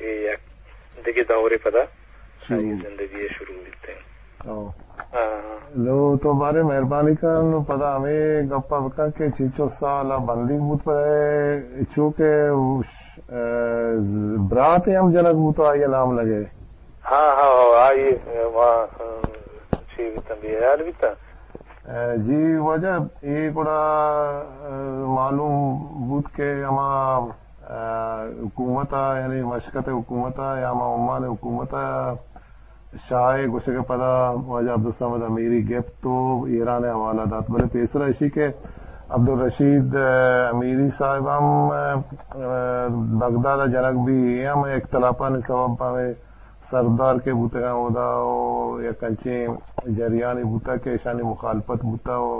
اے یک دگہ دورے پدا شروع۔ آئی زندگی شروع بیتیں۔ او۔ ہاں۔ نو تو بارے مہربانی کن، نو پدا ہمیں گپا بکن کہ چنچو سال بندیگ بوت پدا، چو کہ اوش-، اے، ز-، براتے ہم جنگ بوت، آئی نام لگے۔ ہاں، ہاں، ہاں، آئی، ما، ام، چی بیتن، بے حیال بیتن۔ اے، جی واجہ، اے گڑا، اے، معلوم بوت کہ ہما، اے، حکومت ء، یعنی مشکت حکومت ء یا ہما عمان حکومت ء شاہ ء گوشگ ء پدا واجہ عبدالصمد امیری گپت و ایران ء حوالہ دات۔ بلے پیسرا اشی کہ عبدالرشید، اے، امیری صاحب ہم، اے، بغداد ء جنگ بی، اے ہم اختلافانی سبب ہمیں سردار کہ بوتگاں اودا و یک انچیں جریانی بوتا کہ ایشانی مخالفت بوتا و،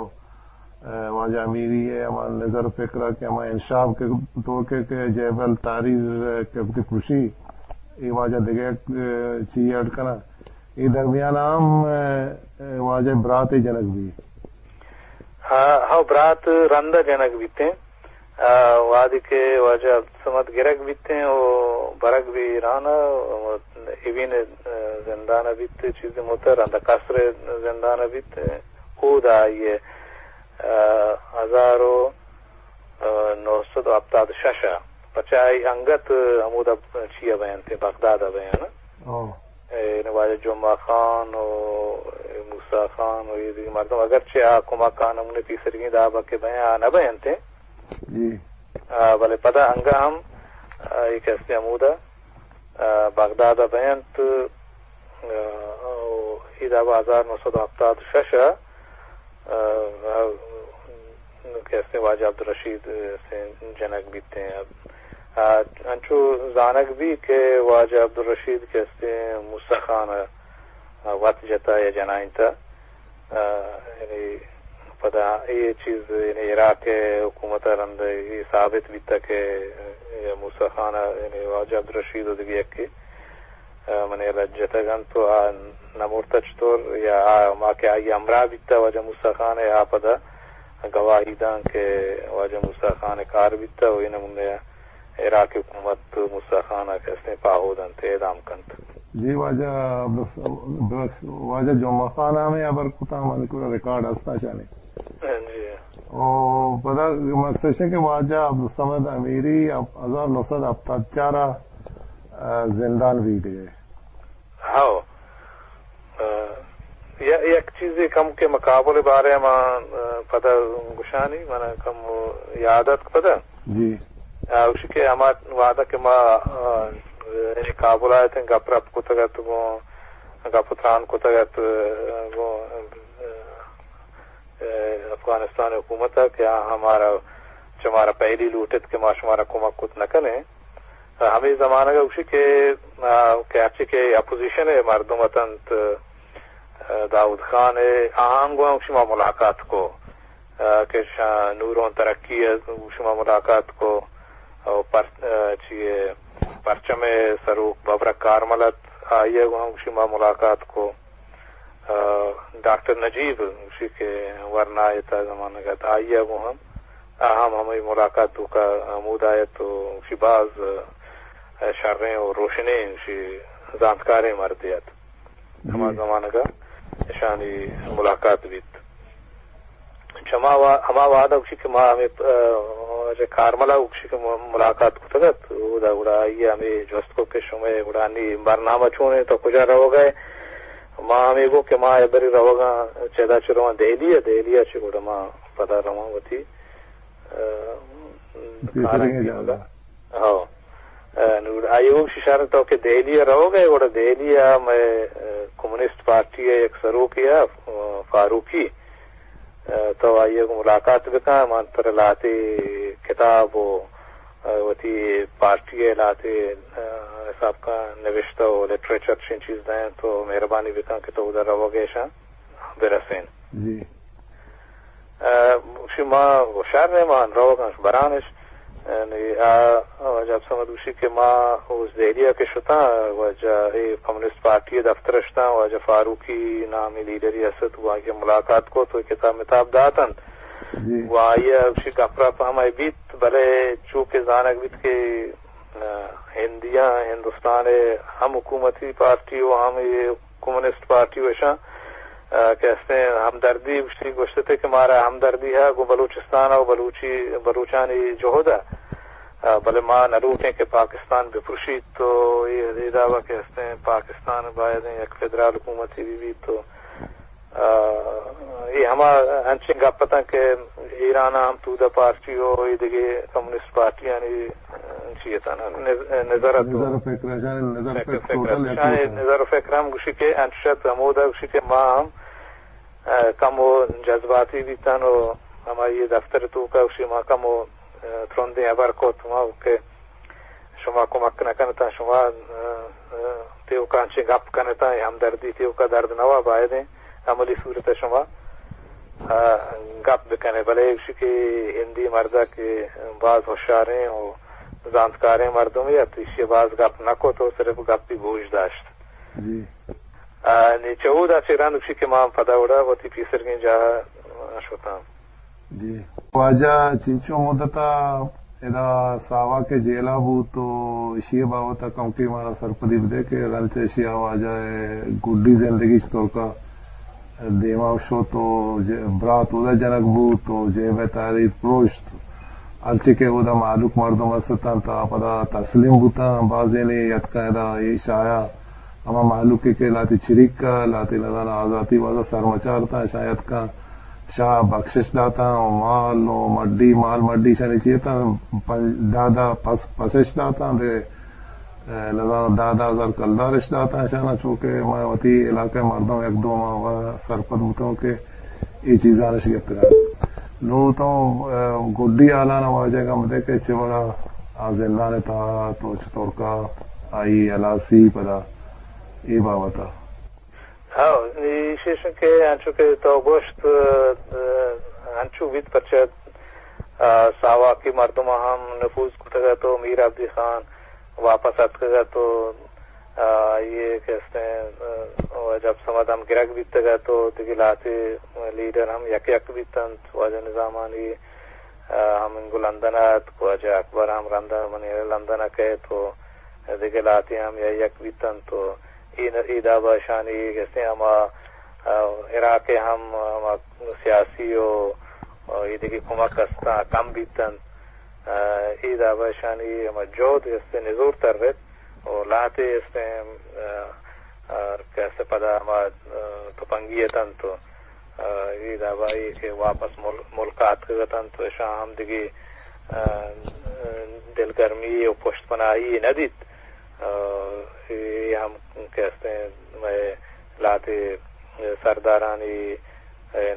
اے، واجہ امیری ء ہما نظر و فکر ء کہ ہما انشاب کہ تو کہ، کہ جبل تحریر کہ وتی پروشی، اے واجہ دگہ یک، اے، چی ایڈ کناں۔ اے درمیان ہم، اے، واجہ برات جنگ بی۔ ہاں، ہاں، برات رندا جنگ بیتیں۔ آ، وہدے کہ واجہ عبدالصمد گرگ بیتیں و برگ بی ایران ء، ایوین ء زندان ء بیت، چیزے متر رندا قصر ء زندان ء بیت، اودا آئی ء، آ، ہزار و نو سد و ہپتاد شش ء پچائی انگت ہمودا چیا بینت، بغداد ء بیان۔ او۔ اے، یعنی واجہ جمعہ خان و موسی خان و یہ دیگہ مردم، اگرچہ آ کمک آ نمونے پیسرگیں دابا کہ بیں، آ نہ بینت۔ جی۔ آ، بلے پدا انگا ہم، آ، اے کہ ہستے ہمودا، آ، بغداد ء بینت، آ، و اے دابا ہزار نو سد و ہپتاد شش ء، آ، کہ ہستے واجہ عبدالرشید، آ، سے جنگ بیتیں۔ آ، انچو زانگ بی کہ واجہ عبدالرشید کہ ہستے موسی خان ء وت جتا یا جنائینتا۔ آ، یعنی پدا اے چیز، یعنی عراق ء حکومت ء رند اے ثابت بیتا کہ موسی خان ء، یعنی واجہ عبدالرشید و دگہ یکے، آ، منی لج جتگ انت و آ نہ مرتا چطور، یا آ ما کہ آئی ہمراہ بیتا واجہ موسی خان ء، آ پدا گواہی دان کہ واجہ موسی خان ء کار بیتا و اے نمونے ء عراق حکومت موسی خان ء کہ ہستیں پاہو دنت، اعدام کنت۔ جی واجہ عبدالس-، ببخش، واجہ جمعہ خان ء ہمے ہبر کتا، من کو ریکارڈ ہستا شانی۔ جی۔ او پدا مقصد ہے کہ واجہ عبدالصمد امیری اب ہزار نو سد ہپتاد چار ء، آ، زندان بیتگے۔ ہاؤ۔ آ، ی-، یک چیزے کم کہ مقابل بارے ما، آ، پدا گشانی، من کم یاد ات پدا۔ جی۔ آ، گوشی کہ ہما وعدہ کہ ما، آ، یعنی کابل آیت گپ رپ کتگ ات گوں، گپ و تران کتگ ات گوں، آ، افغانستان حکومت ء کہ آ ہمارا، چہ مارا پہلی لوٹت کہ ما شمارا کمک کت نہ کنیں۔ ہمے زمانگ ء گوشی کہ، آ، کہ ہرچی کہ اپوزیشن ء مردم اتنت، آ، داؤد خان ء آہاں گوں گوشی ما ملاقات کو، آ، کہ شاہ نورون ترقی ء گوشی ما ملاقات کو، او پر-، آ، چی ء پرچم ء سروک ببرک کارمل ات، آئی ء گوں گوشی ما ملاقات کو۔ آ، ڈاکٹر نجیب گوشی کہ ورنا ء تہ زمانگ ات، آئی ء گوں ہم، آ ہم ہمے ملاقات توکا ہمودا ات و گوشی باز، آ، شریں و روشنیں گوشی زانتکاریں مردے ات۔ ہما جی۔ زمانگ ء اشانی ملاقات بیت۔ چما وا-، ہما وہد ء گوشی کہ ما ہمے، آ، واجہ کارمل ء گوشی کہ م-، ملاقات کتگ ات، اودا گڑا آئی ء ہمے جست کو کہ شمئے گڑا نی برنامہ چون انت، تو کجا روگ ء؟ ما ہمے گو کہ ما ابری روگاں، چدا چہ رواں دہلی ء، دہلی ء چہ گڑا ما پدا رواں وتی، آ، پیسرگیں کاراں جاگہ۔ ہو۔ آ، نوں آئی ء گوشی شر تو کہ دہلی ء روگ ء، گڑا دہلی ء مئے، آ، کمیونسٹ پارٹی ء یک سروکے ء، آ، فاروقی، آ، تو آئی ء گوں ملاقات بکن، من ترا لہتے کتاب و، آ، وتی پارٹی ء لہتے، آ، حساب کن نوشتہ و لٹریچر چین چیز دئیں، تو مہربانی بکن کہ تو اودا روگ ء اشاں برسین۔ جی۔ آ، گوشی ما ہوشیار نہ، ما روگ اش بران اش۔ یعنی آ، واجہ عبدالصمد گوشی کہ ما اوز دہلی ء کہ شتاں، واجہ اے کمیونسٹ پارٹی ء دفتر ء شتاں، واجہ فاروقی نامی لیڈری است، گوں آئی ء ملاقات کت و کتاب متاب داتنت۔ جی۔ گوں آئی ء گوشی گپ رپ ہمائی بیت، بلے چو کہ زانگ بیت کہ ہندیاں، ہندوستان ءِ ہم حکومتی پارٹی و ہم اے کمیونسٹ پارٹی و اشاں، آ، کہ استیں ہمدردی گوشتی، گوشتے کہ مارا ہمدردی ہے گوں بلوچستان و بلوچی، بلوچانی جہد ہے۔ آ، بلے ما نہ لوٹیں کہ پاکستان بپرشیت تو اے، اے دعویٰ کہ استیں پاکستان باید یک فدرال حکومتی بی بیت تو آ، اے ہما انچیں گپ اتاں کہ ایران ءَ ہم تودا پارٹی و اے دگہ کمیونسٹ پارٹیانی، آ، چی اتاں، نز-، نظر ات و نظر و فکر، اشانی نظر فکر، فکر فکر ٹوٹل ات۔ یکے اشانی اتاں۔ نظر و فکر ہم گوشی کہ انچش ات ہمودا گوشی کہ ما ہم، آ، کمو جذباتی بیتن و ہمائی دفتر توکا گوشی ما کمو، آ، ترندیں ہبر کت ما کہ شما کمک نہ کنتاں، شما، آ، آ، تیوکا انچیں گپ کنتاں، اے ہمدردی تیوکا درد نوا، بایدیں عملی صورت ءَ شما، آ، گپ بکنے۔ بلے ایشی کہ ہندی مردک کہ باز ہوشیاریں و زانتکاریں مردمے ات، ایشی باز گپ نہ کت و صرف گپی گوش داشت۔ جی۔ آ، نی چہ اودا چہ رند گوشی کہ ما پدا وڑا وتی پیسرگیں جاہ ءَ شتاں۔ جی۔ واجہ چنچو مدت ءَ ادا ساواک ءِ جیل ءَ بوت و ایشی ءِ بابت ءَ کمکے مارا سرپدی بدے کہ رند چہ ایشی ءَ واجہ ءِ گڈی زندگی چطور کا دیما شت و ج-، برات اودا جنگ بوت و جیب ءِ تحریر پروشت۔ ہرچی کہ اودا مہلوک مردم است اتنت، آ پدا تسلیم بوتاں، بازینے یتکاں ادا اے شاہ ءَ ہما مہلوکے کہ لہتے چریک ءَ، لہتے نزاناں آزاتی واسطہ سرمچار اتاں، اشاں یتکاں شاہ ءَ بخشش داتاں و مال و مڈی، مال مڈی اشانی چی اتاں، پنج، دہ، دہ پس، پسش داتاں، دے، اے، نزاناں دہ، دہ ہزار کلدارش داتاں اشاناں، چونکہ ما وتی علاقہ ءِ مردم یک دو ماہ سرپد بوتوں کہ اے چیزانش گپتگ۔ نوں تو، اے، گڈی حالان ءَ واجہ ءَ گم دے کہ چہ وڑا آ زندان ءِ تہا تو چطور کا آئی ہلاسی پدا اے بابت ءَ۔ ہاں، ایشی اش کہ انچو کہ تو گوشت، اہ، انچو بیت پرچہ، اہ، ساواکی مردم ہم نفوذ کتگ ات و میر عبدی خان واپس اتکگ ات و، اہ، آئی کہ استیں، اہ، واجہ عبدالصمد ہم گرگ بیتگ ات و دگہ لہتے لیڈر ہم یک یک بیتنت، واجہ نظامانی، اہ، ہم انگو لندن ءَ اتک، واجہ اکبر ہم رند ءَ منی لندن ءَ کئیت و دگہ لہتے ہم یک یک بیتنت و اے ن-، اے دابا اشانی گستیں ہما، آ، عراق ءِ ہم ہما سیاسی و، و اے دگہ کمک استاں کم بیتنت۔ آ، اے دابا اشانی ہما جہد گستیں نزور ترت و لہتے استیں، آ، آ، کہ است پدا ہما، آ، تپنگی اتنت و، آ، اے دابا اے کہ واپس مل-، ملک ءَ اتکگ اتنت و اشاں ہم دگہ، آ، دلگرمی و پشت پناہی نہ دیت۔ آ، اے ہم کہ استیں مئے لہتے سردارانی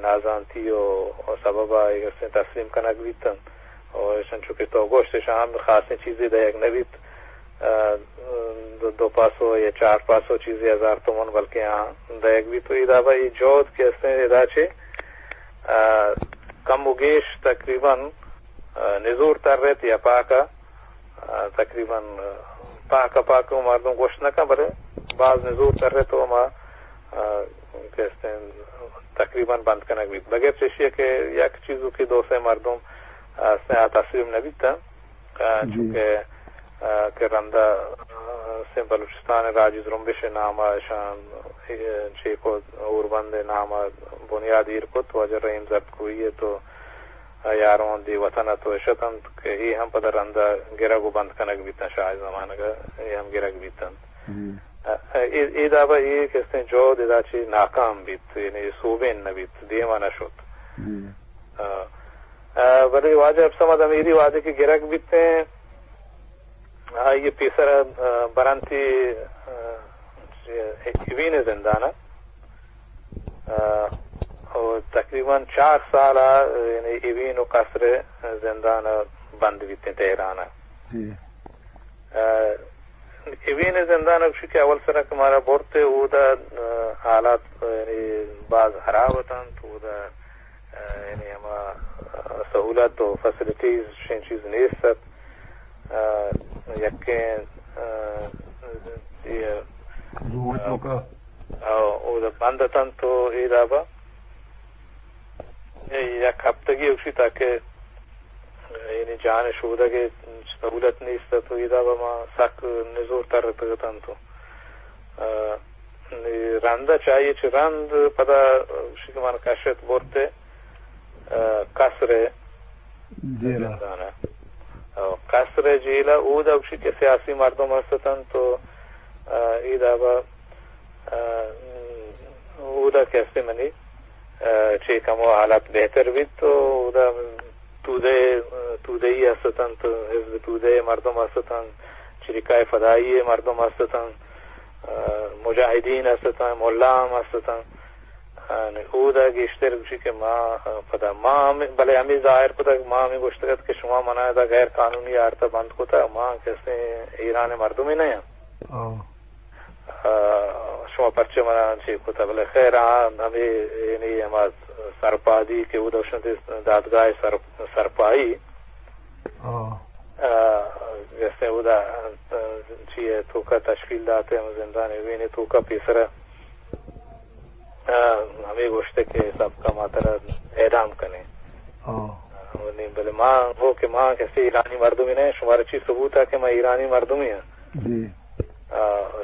نازانتی و، و سبب ءَ اے استیں تسلیم کنگ بیتنت و اشاں چو کہ تو گوشت اشاں ہم خاصیں چیزے دئیگ نہ بیت۔ آ، دو، دو پاسو یا چار پاسو چیزے ہزار تومن بلکیں آ دئیگ بیت و اے دابا اے جہد کہ استیں ادا چہ، آ، کم و گیش تقریباً، آ، نزور ترت یا پاک ءَ، آ، تقریباً، آ، پاک ءَ، پاک ءَ مردم گوشت نہ کن، بلے باز نزور ترت و ما، آ، کہ استیں تقریباً بند کنگ بیت۔ بغیر چشی کہ یک چیزو کہ دو سے مردم، آ، استیں آ تسلیم نہ بیتاں۔ آ، جی۔ چونکہ، آ، کہ رندا، آ، سندھ بلوچستان راجی زرمبش نام ءَ اشان، اے، چیکو اوربند نام ءَ بنیاد ایر کت، واجہ رحیم زردکوہی ءَ تو، آ، یارون دی وطن ءَ تو اشتنت کہ اے ہم پدا رندا گرگ و بند کنگ بیتن شاہ زمانگ ءَ، اے ہم گرگ بیتن۔ جی۔ آ، اے، اے دابا اے کہ استیں جہد ادا چہ ناکام بیت، یعنی سوبین نہ بیت، دیما نہ شت۔ جی۔ آ، آ، بلے واجہ عبدالصمد امیری وہدے کہ گرگ بیتیں، آئی ءِ پیسر، آ، برنتی، آ، ایوین زندان ءَ، آ، و تقریباً چار سال ءَ، یعنی ایوین و قصر زندان ءَ بند بیتیں تہران ءَ۔ جی۔ آ، ایوین زندان ءَ گوشی کہ اول سرا کہ مارا برت اودا، آ، حالات، آ، یعنی باز حراب اتنت اودا، آ، یعنی ہما، آ، سہولت و فیسلٹیز شین چیز نیست ات۔ آ، یکیں، آ، اے، حکومت آ، موقع۔ آ، اودا بند اتنت تو اے دابا یک ہفتگی گوشی تاکہ یعنی جان شودگ ءِ سہولت نیست ات و ادا با ما سک نزور تر اتگ اتنت و، آ، نی رندا چاہیے چہ رند پدا شی کہ من کشت برتے، آ، قصر ءِ جیل ءَ۔ زندان ءَ۔ آ، قصر ءِ جیل ءَ اودا گوشی کہ سیاسی مردم است اتنت و، آ، ادا با، آ، اودا کہ استے منی، آ، چے کمو حالت بہتر بیت و اودا تودے، تودئی است اتنت، حزب تودے مردم است اتنت، چریکای فدائی مردم است اتنت، آ، مجاہدین است اتنت، ملا ہم است اتنت۔ آ، نی اودا گیشتر گوشی کہ ما، آ، پدا ما ہم، بلے ہمے ظاہر کتگ، ما ہمے گوشتگ ات کہ شما منا ادا غیر قانونی آرتا بند کتگ، ما کسے ایران مردمے نہ آں۔ آ۔ آ، شما پرچہ منا چی کتگ؟ بلے خیر، آ ہمے، یعنی ہما سرپادی کہ اودا شنت دادگاہ سر-، سرپائی۔ آ۔ آ، جیسے اودا، آ، چی ہے، توکا تشکیل داتے ہم زندان وینے توکا پیسرا، آ، ہمے گوشتے کہ سب کا ماترا اعدام کنے۔ آ۔ آ، نی بلے ما ہو کہ ما کسے ایرانی مردمی نہ، شمارا چی ثبوت ہے کہ ما ایرانی مردمی ہیں؟ جی۔ آ،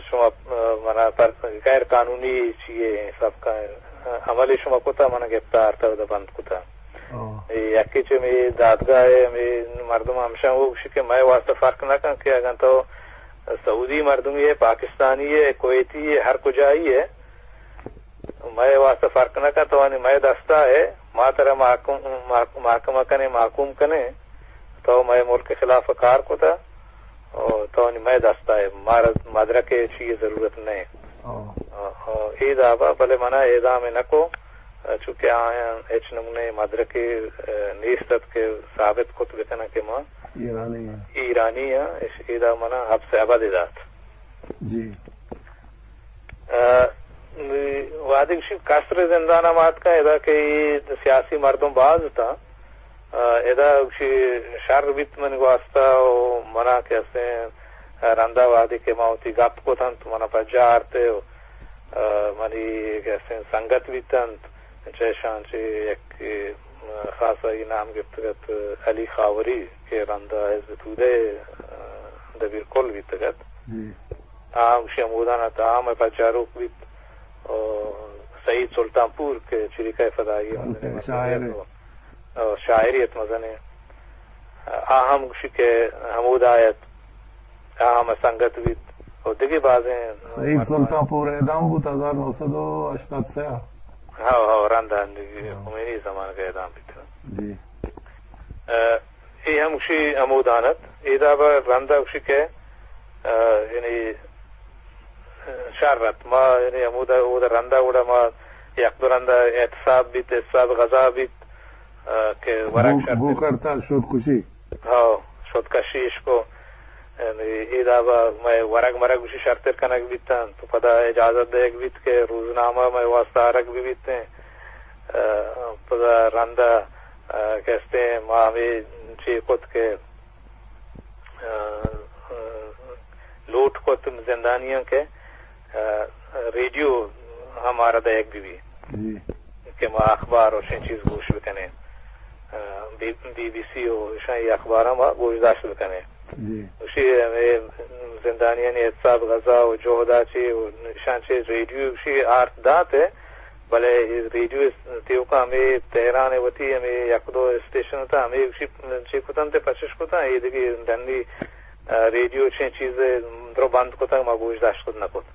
شما، آ، منا پر غیر قانونی چیے سب کا، آ، عملی شما کتا، منا گپتا آرتا اودا بند کتا۔ آ۔ اے یکی چہ ہمے دادگاہ ہے، ہمے مردم ہمشاں وہ گوشی کہ مئے واسطہ فرق نہ کن کہ اگن تو سعودی مردمی ہے، پاکستانی ہے، کویتی ہے، ہر کجائی ہے، مئے واسطہ فرق نہ کن، تو آنی مئے دستا ہے، ما ترا محکم، محک-، محکمہ کنے، محکوم کنے، تو مئے ملک خلاف کار کتا، او تو آنی مئے دستا ہے، مارا مدرک ہے، چیئے ضرورت نہیں۔ او۔ او، او، اے دابا، بلے منا اعدام نہ کو، چونکہ آیاں ہچ نمونے مدرکے، اه، نیست ات کہ ثابت کت بکنن کہ ما ایرانی ہیں۔ ایرانی ہیں، اش-، ادا منا حبس ابد دات۔ جی۔ اه، وہدے گوشی قصر زندان ما اتکاں، ادا کہ اے سیاسی مردم باز اتاں، اه، ادا گوشی شر بیت من واسطہ و منا کہ استیں رندا وہدے کہ ما وتی گپ کتنت، منا پجا آرتے و اه، منی کہ استیں سنگت بیتنت، چہ اشاں چہ یکے، اه، خاص آئی نام گپتگ ات علی خاوری کہ رندا حزب تودے، اه، دبیر کل بیتگ ات۔ جی۔ آ ہم گوشی ہمودان ات، آ ہم پجاروک بیت۔ و سعید سلطان پور کہ چریکہ فدائی ات، شاعر ات۔ و شاعری ات مزنیں۔ آ ہم گوشی کہ ہمودا ات، آ ہم سنگت بیت و دگہ بازیں۔ سعید سلطان پور اعدام بوت ہزار نو سد و ہشتاد سئے ءَ۔ ہاؤ، ہاؤ، رند ءَ دگہ ہاں۔ خمینی زمانگ ءَ اعدام بیت۔ جی۔ اه، اے ہم گوشی ہمودان ات، اے دابا رند ءَ گوشی کہ، اه، یعنی، شر ات۔ ما یعنی ہمودا، اودا رندا گڑا ما یک دو رندا احتساب بیت، احتساب غذا بیت، اه، کہ ورگ بھوک، شرتر۔ بھوک ہڑتال، شود کشی۔ ہاؤ، شود کشی اشکو۔ یعنی اے دابا مئے ورگ مرگ گوشی شرتر کنگ بیتن، تو پدا اجازت دیگ بیت کہ روزنامہ مئے واسطہ آرگ بہ بیتیں۔ اه، پدا رندا، اه، کہ استیں ما ہمے چے کت کہ اه، اه، لوٹ کت زندانیاں کہ، اه، ریڈیو ہمارا دئیگ بہ بی۔ جی۔ کہ ما اخبار و شیں چیز گوش بکنیں۔ اه، بی، بی بی سی و شاہی اخبار ہم گوش داشت بکنیں۔ جی۔ گوشی ہمے زندانیانی احتساب غذا و جہدا چی و شان چی ریڈیو گوشی آرت دات ہے۔ بلے اے ریڈیو اس-، تیوکا ہمے تہران ء وتی ہمے یک دو اسٹیشن ات، ہمے گوشی چے کتنت، پچش کتنت، اے دگہ ڈنی، اه، ریڈیو چیں چیز درو بند کتگ، ما گوش داشت کت نہ کت۔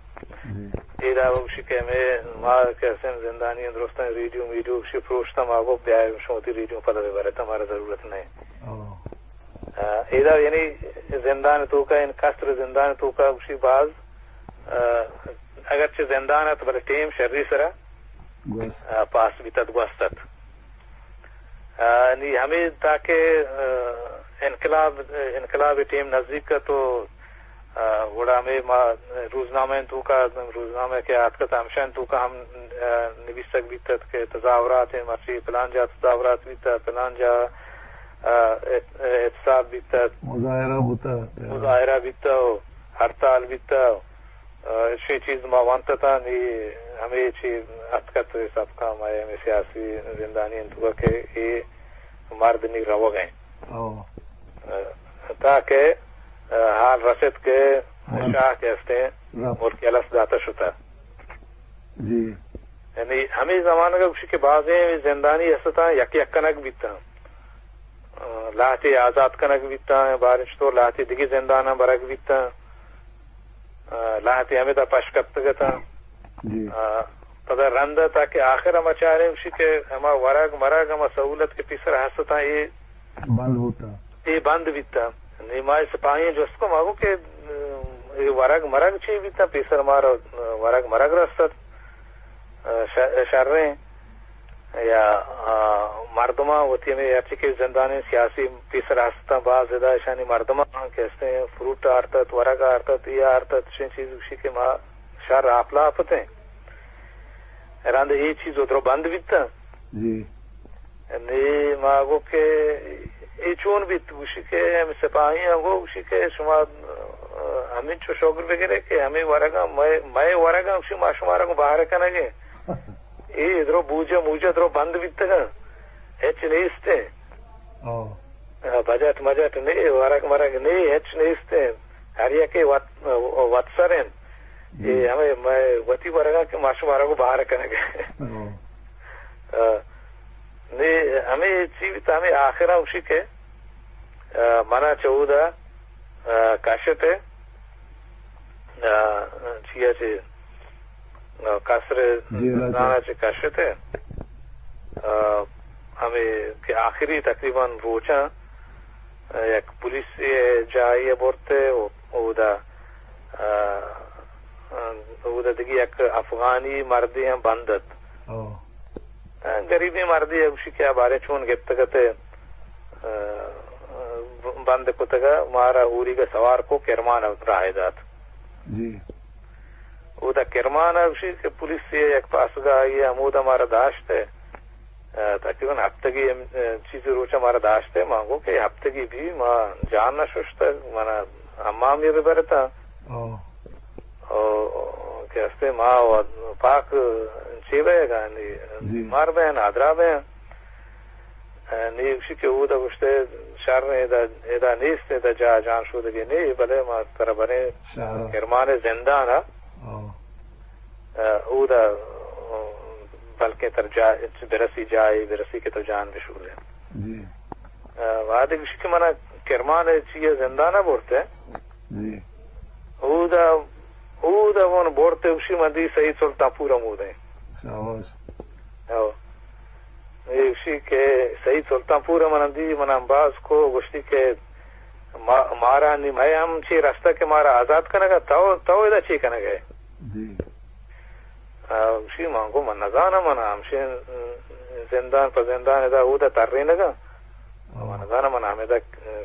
جی۔ اے دابا گوشی کہ ہمے ما کہ حسین زندانی درستاں ریڈیو میڈیو گوشی پروشتا، ما گو بیا شما وتی ریڈیو پدا ببرت، ہمارا ضرورت نہیں۔ او۔ اه، اے دا یعنی زندان توکا، ان قصر زندان توکا گوشی باز، اه، اگرچہ زندان ات، بلے ٹیم شری سرا گوست۔ اه، پاس بیت ات، گوست ات۔ اه، نی ہمے تاکہ، اه، انقلاب، انقلاب ٹیم نزدیک ات و، اه، گڑا ہمے ما روزنامہ توکا، روزنامہ کہ آتکت ہمشان توکا ہم، اه، نویسگ بیت ات کہ تظاہرات ہیں، مرچی پلان جا تظاہرات بیت، پلان جا، اه، احت-، احتساب بیت ات۔ مظاہرہ بوتا۔ مظاہرہ بیت و ہڑتال بیت۔ اه، شی چیز ما وانت اتاں، نی ہمے چی اتکت سبقاں ما ہمے سیاسی زندانی انت کہ اے مرد نی روگ ہیں۔ او۔ تاکہ، ء، حال رست کہ شاہ کہ استیں ملک الس داتہ شتہ۔ جی۔ یعنی ہمے زمانگ ء گوشی کہ بازیں زندانی استاں، یک یک کنگ بیتاں۔ ء، لہتے آزات کنگ بیتاں، باریں چطور لہتے دگہ زنداناں برگ بیتاں۔ ء، لہتے ہمدا پش کپتگ اتاں۔ جی۔ ء، پدا رند ء تاکہ آخر ہما چاریں گوشی کہ ہما ورگ مرگ، ہما سہولت کہ پیسر ہست اتاں، اے بند بوتاں۔ اے بند بیتاں۔ نی ما سپاہیاں جست کو، ما گو کہ، ء، اے ورگ مرگ چی بیتاں؟ پیسر مارا ورگ مرگ رست ات۔ ء، ش-، شریں یا، ء، مردماں وتی ہمے ہرچی کہ زندانیں سیاسی پیسر ہستاں، باز ادا اشانی مردماں کہ ہستیں فروٹ آرتت، ورگ آرتت، اے آرتت، چشیں چیز گوشی کہ ما شر آپ لاپ اتیں۔ رند اے چیز و درو بند بیتاں۔ جی۔ نی ما گو کہ اے چون بیت؟ گوشی کہ ہمے سپاہیاں گو، گوشی کہ شما، ء، ہمینچو شگر بگرے کہ ہمے ورگاں، مئے، مئے ورگاں، گوشی ما شمارا گوں بہر کنگیں۔ اے درو بوجہ موجہ درو بند بیتگاں، ہچ نیستیں۔ او۔ ء، بجٹ مجٹ نے، ورگ مرگ نے، ہچ نیستیں۔ ہر یکے وت، وت سر انت۔ جی۔ اے ہمے مئے وتی ورگاں کہ ما شمارا گوں بہر کنگ۔ او۔ ء، نی ہمے چی بیت، ہمے آخر ء گوشی کہ، ء، منا چہ اودا، ء، کشت ء، ء، چیا چہ، ء، قصر جیل ء چہ۔ زندان ء چہ کشت ء، ء، ہمے کہ آخری تقریباً روچاں، ء، یک پولیس جاہے ء برت ء اودا، ء، ء، اودا دگہ یک افغانی مردے ہم بند ات۔ او۔ ء، گریبیں مردے ء گوشی کہ آ بارے چون گپتگ ات ء، ء، بند کتگ ء مارا ہوریگ ء سوار کو، کرمان ء راہ دات۔ جی۔ اودا کرمان ء گوشی کہ پولیس ء یک پاسگاہے ء ہمودا مارا داشت ء، ء، تقریباً ہپتگے ہم، ء، چیزے روچ ء مارا داشت ء، ما گو کہ ہپتگے بی ما جان نہ ششتگ، منا حمام ء بہ برتاں۔ او۔ او، کہ ہستے ما و پاک چے بئیگا، نی جی۔ بیمار بئیں، نادرا بئیں۔ نی گوشی کہ اودا گوشتے شر ادا، ادا نیست، ادا جا جان شودگی نی، بلے ما ترا بریں شہر۔ کرمان زندان ء۔ او۔ اودا بلکیں تر جا، برسی جاہے، برسی کہ تو جان بشورے۔ جی۔ وہدے گوشی کہ منا کرمان چیئے زندان ء برتے۔ جی۔ اودا، اودا من برتے، گوشی من دی سعید سلطان پور ہمودیں۔ شاباش۔ او۔ اے گوشی کہ سعید سلطان پور من دی، من باز کو، گوشتی کہ ما-، مارا نی مئے ہم چی رستہ کہ مارا آزاد کنگا، تو، تو ادا چی کنگے؟ جی۔ آ، گوشی من گو من نزانم، من ہمشین زندان پہ زندان ادا اودا ترینگا۔ ہاں۔ من نزاناں من ہمیدا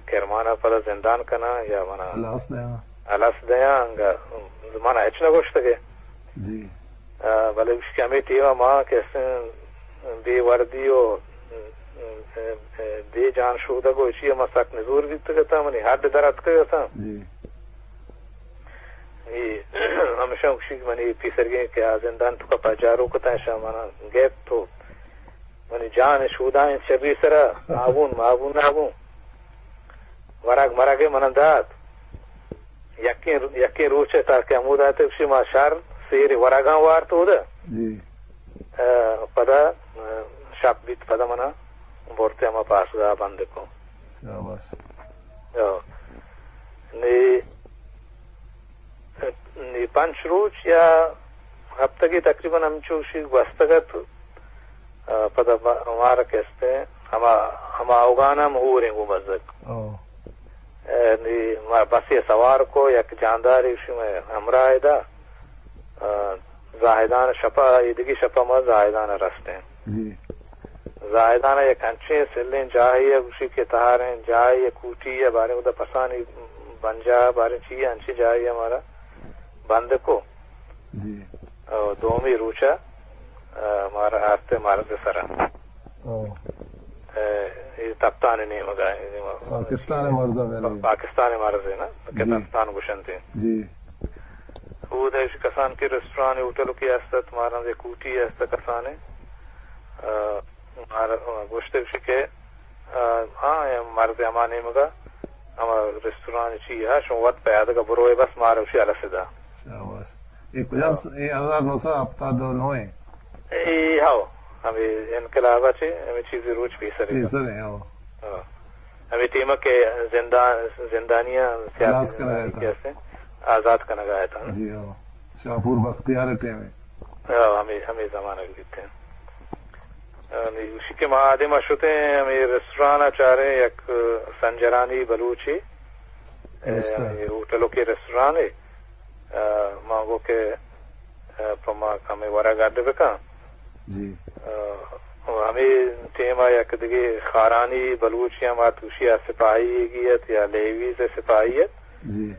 کرمانا پدا زندان کناں یا منا ہلاس دیاں۔ ہلاس دیاں، انگا منا ہچ نہ گوشتگے۔ جی۔ آ، بلے گوشت کہ ہمے ٹیما ما کہ استیں بے وردی و بے جان شودگ و چی ما سک نزور بیتگ اتاں، منی ہڈ در اتکگ اتاں۔ جی۔ اے ہمیشاں گوشی کہ منی پیسرگیں کہ آ زندان توکا پجارو کتاں، اشاں منا گپت و منی جان شودائیں چبی سرا، آبون، مابون نابون۔ ورگ مرگ منا دات۔ یکیں، یکیں روچے تا کہ ہمود آتے، گوشی ما شر سیر ورگاں وارت اودا۔ جی۔ ء، پدا، ء، شپ بیت، پدا منا برتے ہما پاسگاہ بند کو۔ شاباش۔ او۔ نی نی پنچ روچ یا ہپتگے تقریباً ہمچو شی گوستگ ات، آ، پدا ما-، مارا کہ استیں ہما، ہما اوگان ہم ہوریں گوں بزگ۔ او۔ اے، نی ما بسے سوار کو، یک جاندارے شی مئے ہمراہ دا، آ، زاہدان شپا، ایدگی شپا ما زاہدان رستیں۔ جی۔ زاہدان ء یک انچیں سلیں جاہے ء گوشی کہ تہاریں جاہے ء کوٹی ء باریں اودا پسانی بنجاہ ء باریں چی ء انچیں جاہے ء مارا بند کو۔ جی۔ او دومی روچ ء، ء، مارا آرت مرز سرا۔ او۔ ء، اے تپتان نیمگا، پاکستان مرز ء، پاکستان مرز ء نا، کہ جی۔ تپتان گوشنتے۔ جی۔ اود ء کسان کہ ریسٹوران ہوٹل کی است ات، مارا کوٹی است کسانے۔ ء، مارا گوشتے گوشی کہ، آ، ہاں، اے مرز ہما نیمگا، ہما ریستوران چی ہا، شما وت پیادگ ءَ بروئے، بس مارا گوشی الس دا۔ شاباش۔ اے کجا ہاں۔ س-، اے ہزار نو سد ہپتاد و نو ایں؟ اے ہاو، ہمے انقلاب ءَ چہ ہمے چیزے روچ پیسر ایں۔ پیسر ایں، ہاو۔ ہاں۔ ہمے ٹیم ءَ کہ زندان، زندانیاں سیاسی خلاص کنگ ءَ زندانی اتاں۔ کہ ہستیں، آزاد کنگ ءَ اتاں۔ جی ہاو۔ شاپور بختیار ءِ ٹیم ءَ۔ ہاں، ہمے، ہمے زمانگ بیتیں۔ آ، نی گوشی کہ ما آدم ءَ شتیں، ہمے ریستوران ءَ چاریں، یک سنجرانی بلوچے، درست اے، ایں۔ ہمے ہوٹل ءُ کہ ریستوران اے، آ، ما گو کہ، آ، پہ ما کمے ورگ اڈ بکن۔ جی۔ آ، ءُ ہمے ٹیم ءَ یک دگہ خارانی بلوچے ہم ات، گوشی آ سپاہی گی ات یا لیویز ءِ سپاہی ات۔ جی۔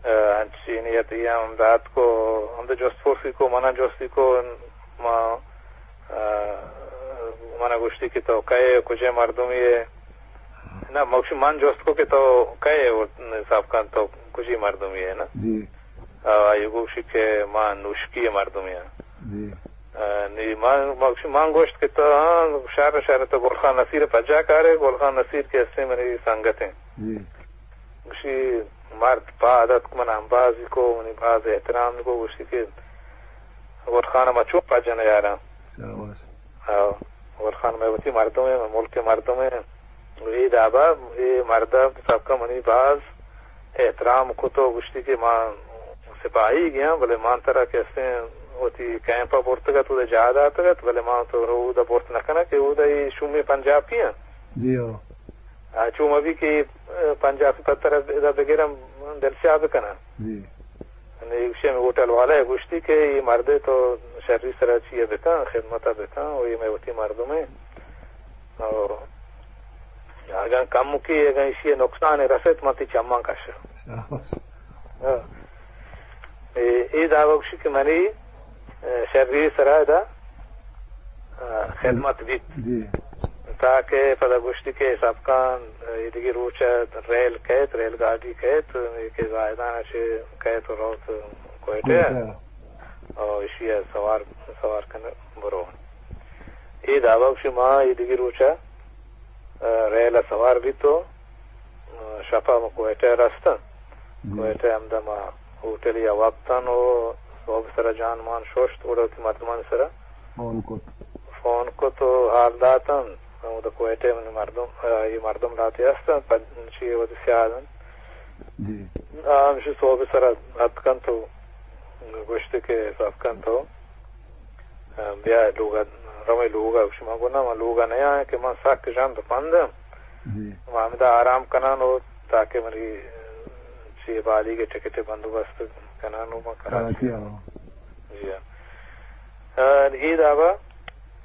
آ، انچینی ات، اے ہم دات کو، ہم تو جست پرسی کو، منا جستی کو، ما، آ، منا گوشتی کہ تو کئے، کجے مردمی ئے؟ نہ، مگشی من جست کو کہ تو کئے، حساب کن تو کجی مردمی ئے نا؟ جی۔ آ، آئی گوشی کہ ما نوشکی مردمی آں۔ جی۔ آ، نی من، مگشی من گوشت کہ تو، ہاں، شر، شر، تو گل خان نصیر پجا کارے، گل خان نصیر کہ ہستیں منی سنگت ایں۔ جی۔ گوشی، مرد پاد اتک، من امبازی کو، منی باز احترام کو، گوشتی کہ گل خان ما چون پجا نیاراں۔ شاباش۔ ہاں، گل خان مئے وتی مردم ایں، مئے ملک ءِ مردم ایں۔ اے دابا، اے مرد ءَ سبکا منی باز احترام کت ءُ گوشتی کہ ما سپاہی گیاں، بلے ما ترا کہ استیں وتی کیمپ ءَ برتگ ات، اود ءَ جاہ داتگ ات، بلے ما تو رو اود ءَ برت نہ کناں کہ اود ءَ اے شومیں پنجابی آں۔ جی ہو۔ آ، چو مہ بی کہ، آ، پنجابی پہ ترا ادا بگراں دل سیاہ بکناں۔ جی۔ نی گوشی ہمے ہوٹل والا ءَ گوشتی کہ اے مردے تو شری سرا چی ءَ بکن، خدمت ءَ بکن، ءُ اے مئے وتی مردم ایں۔ ءُ اگاں کمکے، اگاں ایشی ءَ نقصانے رسیت، من تئی چماں کشاں۔ شاباش۔ ہاں۔ اے، اے دعوی گوشی کہ منی، اے، شری سرا ادا، اے، خدمت بیت۔ جی۔ تاکہ پدا گوشتی کہ سبکان، اے، دگہ روچ ءَ ریل کئیت، ریل گاڑی کئیت، اے کہ زاہدان ءَ چہ کئیت ءُ روت کوئٹہ ءَ۔ کوئٹہ۔ او ایشی ءَ سوار، سوار کن برو۔ اے دعوی گوشی ما اے دگہ روچ ءَ، اے، ریل ءَ سوار بیت ءُ، اے، شپ ءَ ما کوئٹہ ءَ رستن۔ جی۔ کوئٹہ ءَ ہمدا ما ہوٹلے ءَ وپتن ءُ سہب سرا جان مان ششت، اودا وتی مردمان سرا فون کت۔ فون کت ءُ حال داتن۔ اودا کوئٹہ ءَ منی مردم، اے، اے مردم لہتے ہستن، پد چی وتی سیاد انت۔ جی۔ آ ہمشی سہب سرا اتکنت ءُ گوشت کہ سبکان تو بیا لوگ ءَ، رویں لوگ ءَ۔ گوشی، من گوں نا، من لوگ ءَ نیاں کہ من سک ژند پند آں۔ جی۔ من ہمدا آرام کنان ءُ تاکہ منی چی بالیگ ءِ ٹکٹ ءِ بندوبست کنان ءُ من کراچی کراچی ءَ رواں۔ جی ہاں۔ آ، اے دابا،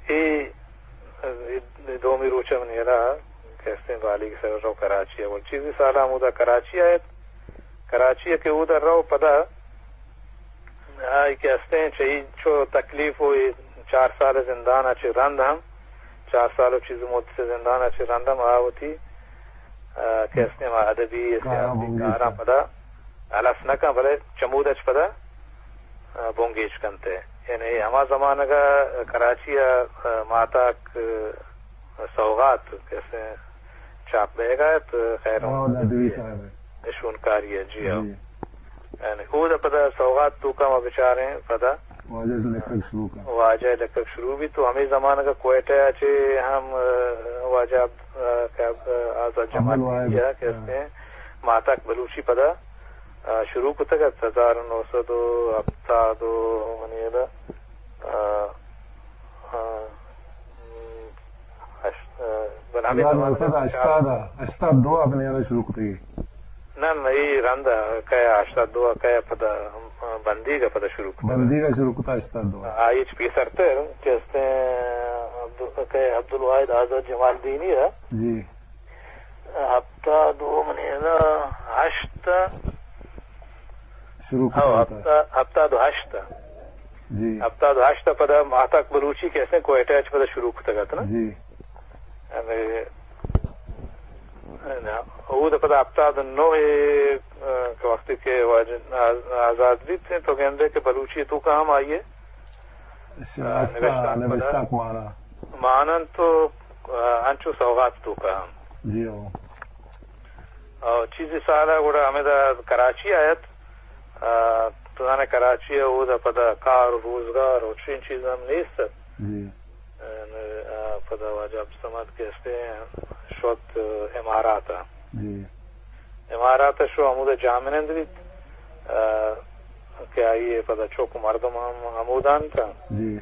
اے، اے دومی روچ ءَ من یلا کہ استیں بالیگ ءِ سر رو کراچی ءَ۔ ول چیزی سال ہمودا کراچی ءَ ات۔ کراچی ءَ کہ اودا رو پدا آئی کہ استیں چہ اے چو تکلیف ءُ اے چار سال زندان ءَ چہ رند ہم، چار سال ءُ چیز مدت زندان ءَ چہ رند ہم آ وتی، آ، کہ استیں ما ادبی کاراں سیاسی بنگیج کاراں کن۔ پدا ہلاس نہ کن، بلے چمود ءَ چہ پدا، آ، بنگیج کنت۔ یعنی ہما زمانگ ءَ کراچی ءَ، آ، ماتاک، آ، سوغات کہ استیں چاپ بیگ ءَ ات، خیر ہما وھد ءَ ادبی صاحب ءِ۔ شونکاری ءَ، جی ہاں۔ جی۔ یعنی، اود ءَ پدا سوغات توکا ما بچاریں، پدا واجہ لکھگ شروع کن۔ واجہ لکھگ شروع بیت، تو ہمے زمانگ ءَ کوئٹہ ءَ چہ ہم، آ، واجہ عبد-، آ، کہ عبد-، آ، آزاد جماعتی عبدالواحد، آ، کہ ہاں۔ استیں، ماتاک بلوچی پدا، آ، شروع کتگ ات، ہزار نو سد ءُ ہپتاد ءُ منی ادا، آ، آ، ہشت، بلے ہمے ہزار نو سد ءُ ہشتاد ءَ، ہشتاد دو ءَ بنیاد ءَ شروع کتگی۔ نہ، نہ، اے رند ءَ کئے ہشتاد دو ءَ کئے پدا، بندیگ ءَ پدا شروع کتگ۔ بندیگ ءَ شروع کتگ ہشتاد دو ءَ۔ آ، ہچ پیسرتر کہ استیں عبدال-، کئے عبدالواحد آزاد جمالدینی ءَ۔ جی۔ ہپتاد دو منی نا، ہشت۔ شروع ہاں، کتگ ات۔ ہپتا-، ہپتاد ءُ ہشت۔ جی۔ ہپتاد ءُ ہشت ءَ پدا ماتاک بلوچی کہ استیں کوئٹہ ءَ چہ پدا شروع کتگ ات نا۔ جی۔ ہمے، اود ءَ پدا ہپتاد ءُ نو ءَ، آ، کہ وقتی کہ واجہ آز-، آزاد بیت تو گندے کہ بلوچی توکا ہم آئی ءِ، اچھا، آ، استا نبشتانک پدا نبشتانک مانا۔ مانن تو، آ، انچو سوغات توکا ہم۔ جی ہو۔ او چیزی سال ءَ گڑا ہمدا کراچی آیت۔ آ، تو زانے کراچی ءَ اودا پدا کار و روزگار و چین چیز ہم نیست ات۔ جی۔ آ، پدا واجہ عبدالصمد کہ استے شوت امارات ءَ۔ جی۔ امارات ءَ شو ہمودا جاہمنند بیت، آ، کہ آئی ءِ پدا چک مردم ہم ہمودان تاں۔ جی۔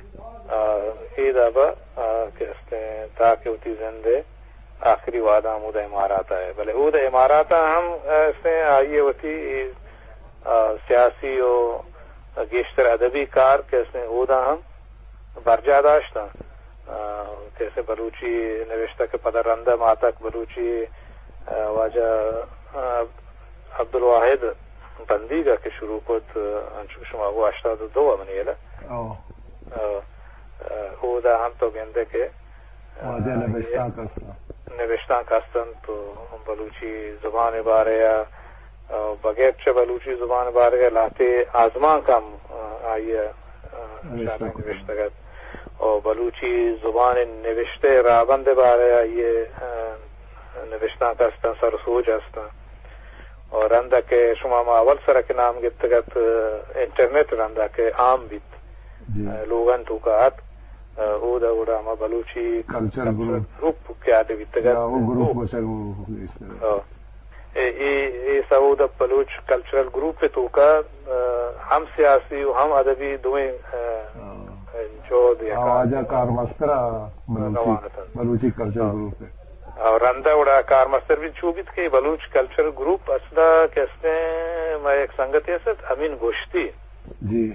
آ، اے دابا، آ، کہ استیں تاکہ وتی زند ءِ آخری وہداں ہمودا امارات ءَ اے۔ بلے اودا امارات ءَ ہم، آ، استیں آئی ءِ وتی، آ، سیاسی و گیشتر ادبی کار کہ استیں اودا ہم برجاہ داشتاں۔ آ، کسے بلوچی نوشتہ کہ پدا رند ءَ ماتک بلوچی، آ، واجہ، آ، عبدالواحد بندیگ ءَ کہ شروع کت، آ، انچو کہ شما گوں ہشتاد و دو ءَ منی ہیال ءَ۔ او۔ آ، آ، اودا ہم تو گندے کہ، آ، واجہ نبشتانک است انت۔ نبشتانک است انت تو بلوچی زبان ءِ بارے ءَ، آ، بغیر چہ بلوچی زبان ءِ بارے ءَ لہتے آزمانک ہم، آ، آئی ءَ، آ، نبشتہ کتگ۔ نبشتگ ات۔ او بلوچی زبان ءِ نبشتہ ءِ راہبند ءِ بارے ءَ آئی ءِ، آ، نبشتانک است انت، سر و سوج است انت۔ او رند ءَ کہ شما ما اول سر ءَ کہ نام گپتگ ات، آ، انٹرنیٹ رند ءَ کہ عام بیت، جی۔ آ، لوگانی توکا ات، آ، اودا گڑا ہما بلوچی کلچر کلچر گروپ۔ گروپ کہ آتے بیتگ ات۔ یا، او گروپ گوشگ۔ او۔ اے، اے، اے سعود بلوچ کلچرل گروپ ءِ توکا، آ، ہم سیاسی و ہم ادبی دوئیں، آ، ہاں۔ جہد یک آ واجہ کارمستر ءَ بلوچی، روان اتنت۔ بلوچی کلچرل ہاں۔ گروپ ءِ۔ اور رند ءَ گڑا کارمستر بیت چو بیت کہ بلوچ کلچرل گروپ اصل ءَ کہ استیں ما یک سنگتے است امین گوشتی۔ جی۔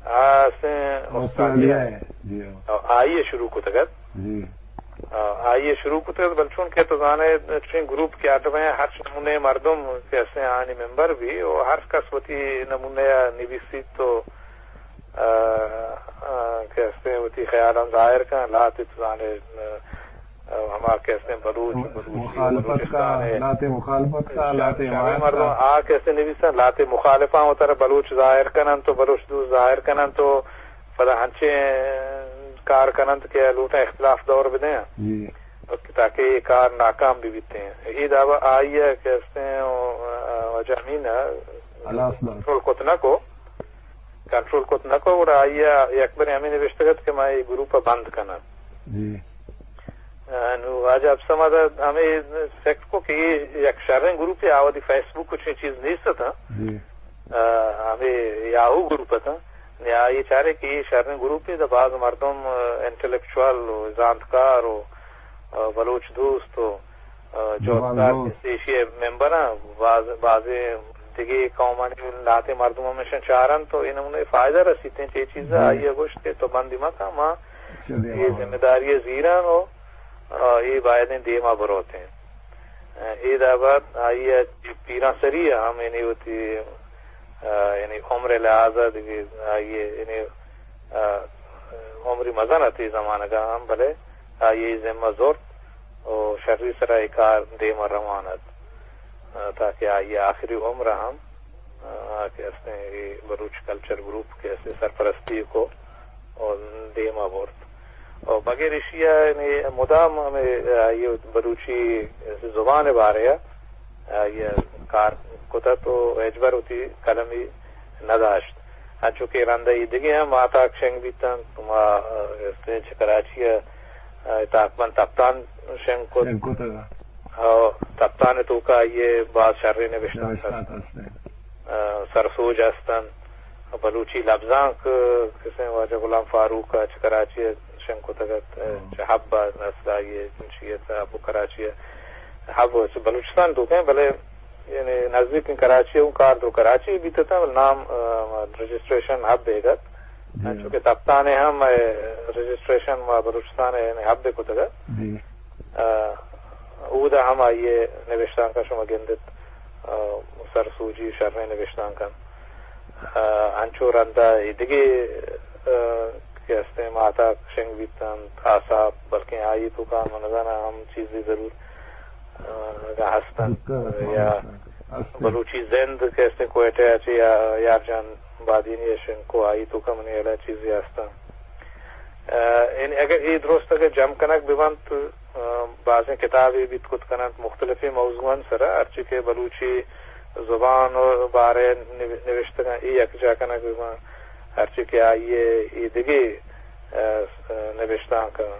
آ استیں آسٹریلیا ءَ۔ جی ہاں۔ اور آئی ءَ شروع کتگ ات۔ جی۔ آ، آئی ءَ شروع کتگ ات، بلے چون کہ تو زانے، چین گروپ کہ آتبیں، ہر نمونے مردم کہ استیں آنی ممبر بی، و ہر کس وتی نمونے ءَ نویسیت تو، آ، آ، کہ استیں وتی خیالاں ظاہر کن، لہتے تو زانے، آ، ہما کہ استیں بلوچ، بلوچی، مخالفت کا، بلوچستان ءِ لہتے مخالفت کا، لہتے شہ-، شہ حمایت مردم کا۔ آ کہ استیں نویسن، لہتے مخالفاں وترا بلوچ ظاہر کنن تو بلوچ دوست ظاہر کنن تو پدا ہنچیں کار کننت کہ لوٹاں اختلاف دور بدیں۔ جی۔ تاکہ اے کار ناکام بہ بیتیں۔ اے دعوی آئی ءَ کہ استیں، آ، واجہ امین ءَ ہلاس دات۔ کنٹرول کت نہ کو، کنٹرول کت نہ کو، گڑا آئی ءَ یک برے ہمے نبشتگ ات کہ ما اے گروپ ءَ بند کناں۔ جی۔ آ، نو واجہ عبدالصمد ءَ ہمے فکر کو کہ اے یک شریں گروپے، آ وھدی فیس بک ءُ چنیں چیز نیست اتاں۔ جی۔ آ، ہمے یاہو گروپ اتاں۔ نی آئی چارے کہ اے شریں گروپے، داں باز مردم، آ، انٹلیکچوئل ءُ زانتکار ءُ، آ، بلوچ دوست ءُ، آ، زبان جہدکار دوست۔ ایشی ءِ ممبر آں، باز، بازیں دگہ قومانی لہتیں مردم ہم ایشاں چارنت ءُ اے نمونے فائدہ رسیت انت۔ اے چیز ءَ جی۔ آئی ءَ گوشت کہ تو بندی مکن، ما چہ دیم ءَ اے وریں۔ ذمہ داری ءَ زیراں ءُ، آ، اے بایدیں دیم ءَ بروتیں۔ اے دابا آئی ءَ پیرانسری ءَ ہم یعنی وتی، آ، یعنی عمر ءِ لحاظ ءَ دگہ آئی ءِ یعنی، آ، عمری مزن ات اے زمانگ ءَ ہم، بلے آئی ءَ اے ذمہ زرت ءُ شری سرا اے کار دیم ءَ روان ات، آ، تاکہ آئی ءِ آخری عمر ءَ ہم آ، کہ استیں اے بلوچ کلچر گروپ کہ استیں سرپرستی کو ءُ دیم ءَ برت۔ ءُ بغیر ایشی ءَ یعنی مدام ہمے، آ، اے بلوچی زبان ءِ بارے ءَ، آ، اے کار کت ات ءُ ہچبر وتی قلمی نہ داشت۔ انچو کہ رند ءَ اے دگہ ہم ماہتاک شنگ بیت انت، ما، آ، استیں چہ کراچی ءَ، آ، تاکبند تپتان شنگ کت۔ شنگ کتگ۔ ءُ تپتان ءِ توکا آئی ءِ باز شریں نبشتانک نبشتانک است۔ است انت۔ آ، سرسوج است انت۔ بلوچی لبزانک، کسیں واجہ غلام فاروق ءَ چہ کراچی ءَ شنگ کتگ ات، ہم۔ چہ حب ءَ نسل آئی ءِ چنچی ات، حب کراچی ءَ، حب چہ بلوچستان توکیں، بلے یعنی نزدیک کراچی ءَ اوں کار درو کراچی ءَ بیت ات، بلے نام، آ، رجسٹریشن حب ءَ ات۔ جی۔ انچو کہ تپتان ءَ ہم، آ، رجسٹریشن ما بلوچستان ءَ یعنی حب ءَ کتگ ات۔ جی۔ آ، اودا ہم آئی ءِ نبشتانکاں شما گندت، آ، سرسوجی شریں نبشتانک انت۔ آ، انچو رند ءَ اے دگہ، آ، کہ استیں ماہتاک شنگ بیت انت، آساپ، بلکیں آئی توکا من نزاناں ہم چیزے ضرور، آ، اگاں ہست انت بوتگ ات، یا ہست انت۔ بلوچی زند کہ استیں کوئٹہ ءَ چہ یا-، یار جان بادینی ءَ شنگ کو، آئی توکا منی ہیال ءَ چیزے ہست انت۔ آ، یعنی اگر اے درست اگر جم کنگ بہ بنت، ء، بازیں کتابے بیت کت کننت مختلفیں موضوعانی سرا، ہرچی کہ بلوچی زبان ء بارے نو-، نوشتگاں، اے یکجا کنگ بہ باں، ہرچی کہ آئی ء اے دگہ، ء، نبشتانکاں،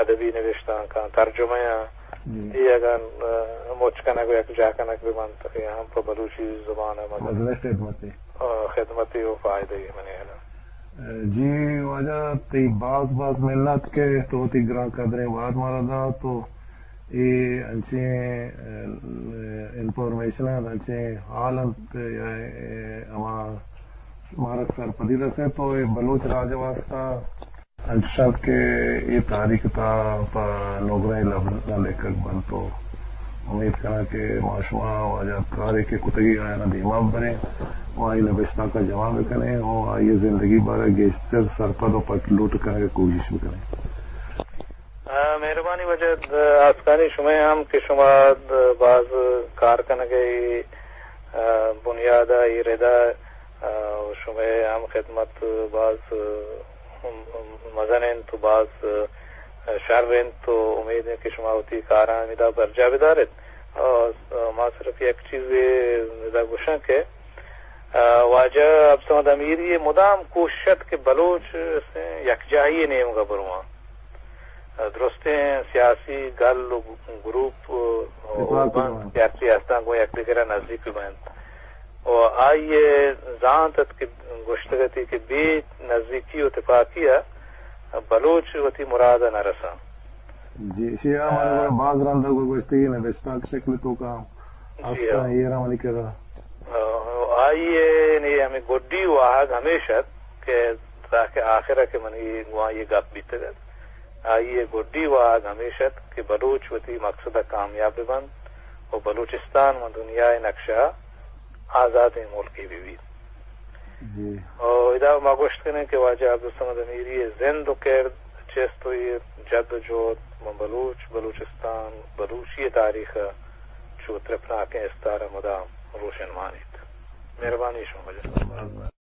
ادبی نبشتانکاں، ترجمہ آں، جی۔ اے اگاں، ء، مچ کنگ ء یکجا کنگ بہ بنت، اے ہم پہ بلوچی زبان ء مزن مزنیں خدمتے۔ ء، خدمتے و فائدہ ء منی ہیال ء۔ جی واجہ، تئی باز باز منت کہ تو وتی گران قدریں وہد مارا دات و اے انچیں، ء، انفارمیشن انت، انچیں حال انت یا، ء، ہما مارا سرپدی رسیت و اے بلوچ راج ء واسطہ انچش انت کہ اے تاریخ ء تہا پہ نگرہیں لبزاں لیکگ بنت و امیت کناں کہ ما شما واجہ کارے کہ کتگی آیانا دیما ببریں و آئی نبشتانکاں جمع بکنیں و آئی زندگی بارہ گیشتر سرپد و پٹ لوٹ کنگ ء کوشش بکنیں۔ آ، مہربانی واجہ، آسکانی شمئے ہم کہ شما باز کار کنگ ء، آ، بنیاد ء اے رد ء، آ، شمئے ہم خدمت باز، آ، مزن انت و باز، آ، شر انت و امید انت کہ شما وتی کاراں ہمیدا برجاہ بدار ات۔ آ، ما صرف یک چیزے ادا گوشاں کہ، آ، واجہ عبدالصمد امیری مدام کوشش ات کہ بلوچ یکجاہی نیمگ ء برواں۔ درستیں سیاسی گل و گروپ و، و اتفاق بنت بنت۔ کہ ہرچی ہستاں گوں یکدگر ء نزیک بنت۔ و آئی ء زانت ات کہ گوشتگ اتی کہ بے نزیکی و تپاکی ء بلوچ وتی مراد ء نہ رساں۔ جی، ایشی ء من آ، گڑا باز رند ء گوشتگی نبشتانک شکل توکا جی ہستاں ہاں۔ ایر منی کرا۔ آ، آئی ء نی ہمیں گڈی واہگ ہمیش ات کہ تاکہ آخر ء کہ منی گوان یہ گپ بیتگ ات۔ آئی ء گڈی واہگ ہمیش ات کہ بلوچ وتی مقصد ء کامیاب بہ بنت و بلوچستان من دنیا ء نقشہ ء آزادیں ملکے بہ بیت۔ جی۔ و ادا ما گوشت کنیں کہ واجہ عبدالصمد امیری ء زند و کرد، چست و ایر، جد و جہد من بلوچ، بلوچستان، بلوچی ء تاریخ ء چو ترپناکیں استار ء مدام روشن مانیت۔ مہربانی شما واجہ۔